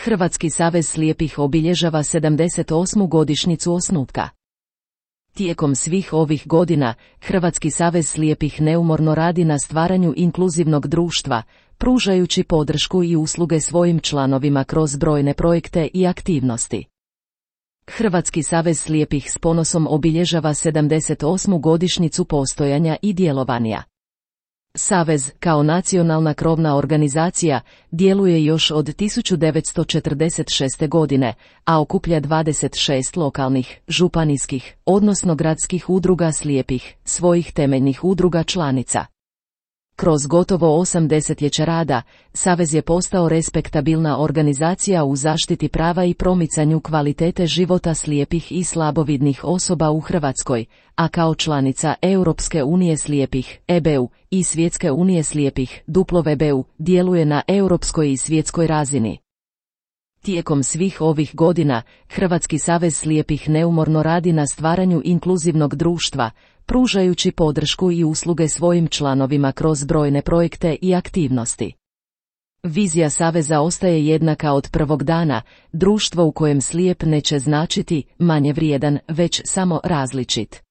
Hrvatski savez slijepih obilježava 78. godišnjicu osnutka. Tijekom svih ovih godina, Hrvatski savez slijepih neumorno radi na stvaranju inkluzivnog društva, pružajući podršku i usluge svojim članovima kroz brojne projekte i aktivnosti. Hrvatski savez slijepih s ponosom obilježava 78. godišnjicu postojanja i djelovanja. Savez, kao nacionalna krovna organizacija, djeluje još od 1946. godine, a okuplja 26 lokalnih, županijskih, odnosno gradskih udruga slijepih, svojih temeljnih udruga članica. Kroz gotovo 8 desetljeća rada, Savez je postao respektabilna organizacija u zaštiti prava i promicanju kvalitete života slijepih i slabovidnih osoba u Hrvatskoj, a kao članica Europske unije slijepih, EBU, i Svjetske unije slijepih, WBU, djeluje na europskoj i svjetskoj razini. Tijekom svih ovih godina, Hrvatski savez slijepih neumorno radi na stvaranju inkluzivnog društva, pružajući podršku i usluge svojim članovima kroz brojne projekte i aktivnosti. Vizija Saveza ostaje jednaka od prvog dana, društvo u kojem slijep neće značiti manje vrijedan, već samo različit.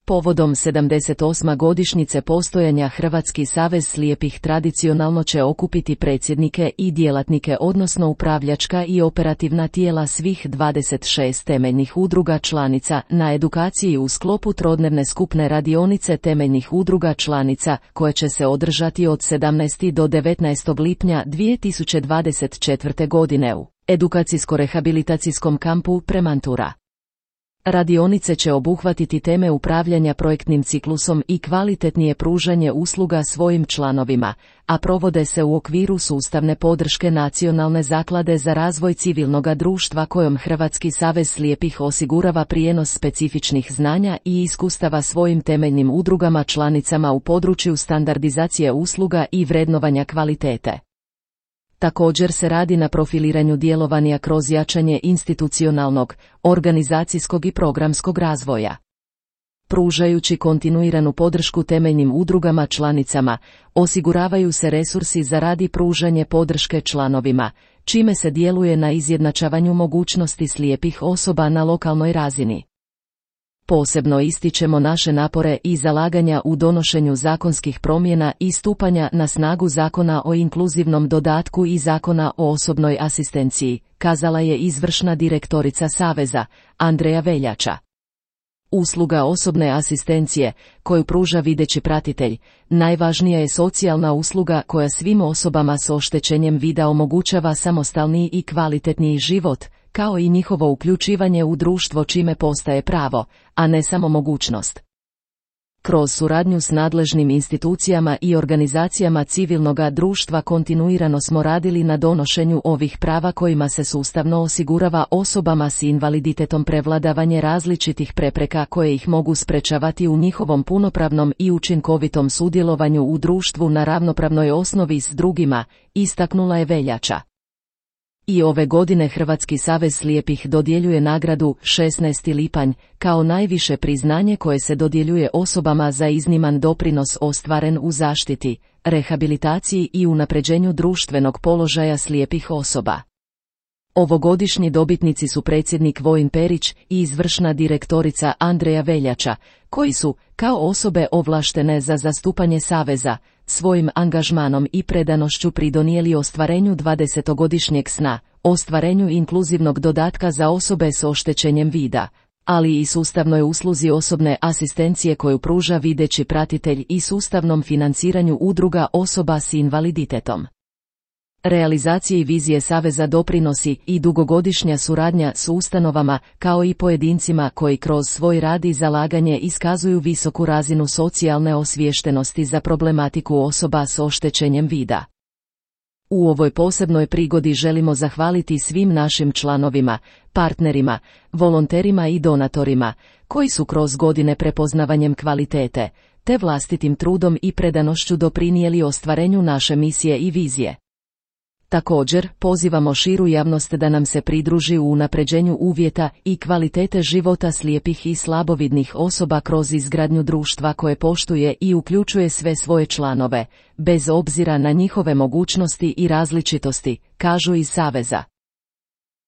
Povodom 78. godišnjice postojanja Hrvatski savez slijepih tradicionalno će okupiti predsjednike i djelatnike odnosno upravljačka i operativna tijela svih 26 temeljnih udruga članica na edukaciji u sklopu trodnevne skupne radionice temeljnih udruga članica koje će se održati od 17. do 19. lipnja 2024. godine u edukacijsko-rehabilitacijskom kampu Premantura. Radionice će obuhvatiti teme upravljanja projektnim ciklusom i kvalitetnije pružanje usluga svojim članovima, a provode se u okviru sustavne podrške Nacionalne zaklade za razvoj civilnoga društva kojom Hrvatski savez slijepih osigurava prijenos specifičnih znanja i iskustava svojim temeljnim udrugama članicama u području standardizacije usluga i vrednovanja kvalitete. Također se radi na profiliranju djelovanja kroz jačanje institucionalnog, organizacijskog i programskog razvoja. Pružajući kontinuiranu podršku temeljnim udrugama članicama, osiguravaju se resursi za rad i pružanje podrške članovima, čime se djeluje na izjednačavanju mogućnosti slijepih osoba na lokalnoj razini. Posebno ističemo naše napore i zalaganja u donošenju zakonskih promjena i stupanja na snagu Zakona o inkluzivnom dodatku i Zakona o osobnoj asistenciji, kazala je izvršna direktorica Saveza, Andreja Veljača. Usluga osobne asistencije, koju pruža videći pratitelj, najvažnija je socijalna usluga koja svim osobama s oštećenjem vida omogućava samostalniji i kvalitetniji život, kao i njihovo uključivanje u društvo čime postaje pravo, a ne samo mogućnost. Kroz suradnju s nadležnim institucijama i organizacijama civilnoga društva kontinuirano smo radili na donošenju ovih prava kojima se sustavno osigurava osobama s invaliditetom prevladavanje različitih prepreka koje ih mogu sprečavati u njihovom punopravnom i učinkovitom sudjelovanju u društvu na ravnopravnoj osnovi s drugima, istaknula je Veljača. I ove godine Hrvatski savez slijepih dodjeljuje nagradu 16. lipanj, kao najviše priznanje koje se dodjeljuje osobama za izniman doprinos ostvaren u zaštiti, rehabilitaciji i unapređenju društvenog položaja slijepih osoba. Ovogodišnji dobitnici su predsjednik Vojin Perić i izvršna direktorica Andreja Veljača, koji su, kao osobe ovlaštene za zastupanje Saveza, svojim angažmanom i predanošću pridonijeli ostvarenju 20-godišnjeg sna, ostvarenju inkluzivnog dodatka za osobe s oštećenjem vida, ali i sustavnoj usluzi osobne asistencije koju pruža videći pratitelj i sustavnom financiranju udruga osoba s invaliditetom. Realizaciji vizije Saveza doprinosi i dugogodišnja suradnja s ustanovama kao i pojedincima koji kroz svoj rad i zalaganje iskazuju visoku razinu socijalne osviještenosti za problematiku osoba s oštećenjem vida. U ovoj posebnoj prigodi želimo zahvaliti svim našim članovima, partnerima, volonterima i donatorima, koji su kroz godine prepoznavanjem kvalitete, te vlastitim trudom i predanošću doprinijeli ostvarenju naše misije i vizije. Također, pozivamo širu javnost da nam se pridruži u unapređenju uvjeta i kvalitete života slijepih i slabovidnih osoba kroz izgradnju društva koje poštuje i uključuje sve svoje članove, bez obzira na njihove mogućnosti i različitosti, kažu iz Saveza.